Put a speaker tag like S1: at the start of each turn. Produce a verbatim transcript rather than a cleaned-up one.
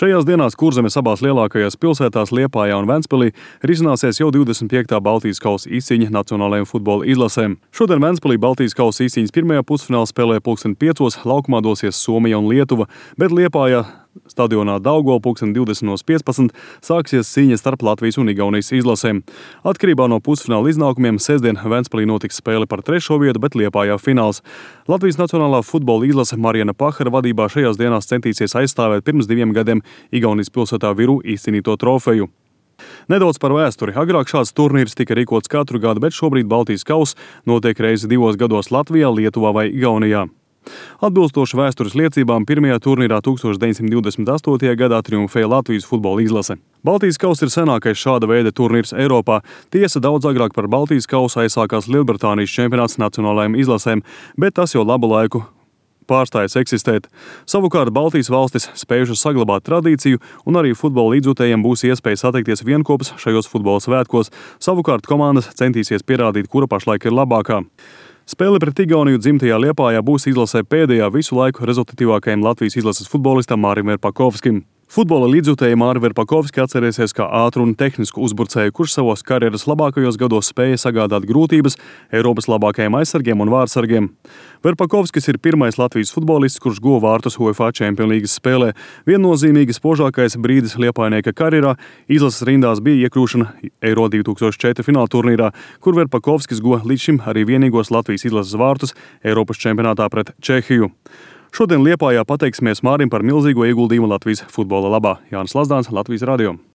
S1: Šajās dienās Kurzemes abās lielākajās pilsētās Liepājā un Ventspilī risināsies jau divdesmit piektā Baltijas kausa izcīņa nacionālajām futbola izlasēm. Šodien Ventspilī Baltijas kausa izcīņas pirmajā pusfināla spēlē pulksten piecos laukumā dosies Somija un Lietuva, bet Liepājā stadionā Daugava pulksten divdesmit piecpadsmit sāksies cīņa starp Latvijas un Igaunijas izlasēm. Atkarībā no pusfināla iznākumiem sestdien Ventspilī notiks spēle par trešo vietu, bet Liepājā fināls. Latvijas nacionālā futbola izlase Marijana Pahara vadībā šajās dienās centīsies aizstāvēt pirms diviem gadiem Igaunijas pilsētā Viru izcīnīto trofeju. Nedaudz par vēsturi. Agrāk šāds turnīrs tika rīkots katru gadu, bet šobrīd Baltijas kauss notiek reizi divos gados Latvijā, Lietuvā vai Igaunijā. Atbilstoši vēstures liecībām, pirmajā turnīrā tūkstoš deviņsimt divdesmit astotajā gadā triumfēja Latvijas futbola izlase. Baltijas kauss ir senākais šāda veida turnīrs Eiropā. Tiesa, daudz agrāk par Baltijas kausu aizsākās Lielbritānijas čempionāts nacionālajām izlasēm, bet tas jau labu laiku pārstājas eksistēt. Savukārt Baltijas valstis spējušas saglabāt tradīciju, un arī futbola līdzjutējiem būs iespēja satikties vienkopas šajos futbola svētkos. Savukārt komandas centīsies pierādīt, kura pašlaik ir labākā. Spēle pret Igauniju dzimtajā Liepājā būs izlasē pēdējā visu laiku rezultatīvākajam Latvijas izlases futbolistam Mārim Verpakovskim. Futbola līdzjutēji Māri Verpakovski atcerēsies kā ātru un tehnisku uzbrucēju, kurš savos karjeras labākajos gados spēja sagādāt grūtības Eiropas labākajiem aizsargiem un vārtsargiem. Verpakovskis ir pirmais Latvijas futbolists, kurš guva vārtus UEFA Champions League spēlē. Viennozīmīgi spožākais brīdis Liepājnieka karjerā izlases rindās bija iekļūšana Eiro divi tūkstoši četri fināla turnīrā, kur Verpakovskis guva līdz šim arī vienīgos Latvijas izlases vārtus Eiropas čempionātā pret Čehiju. Šodien Liepājā pateiksimies Mārim par milzīgo ieguldījumu Latvijas futbola labā. Jānis Lazdāns, Latvijas radio.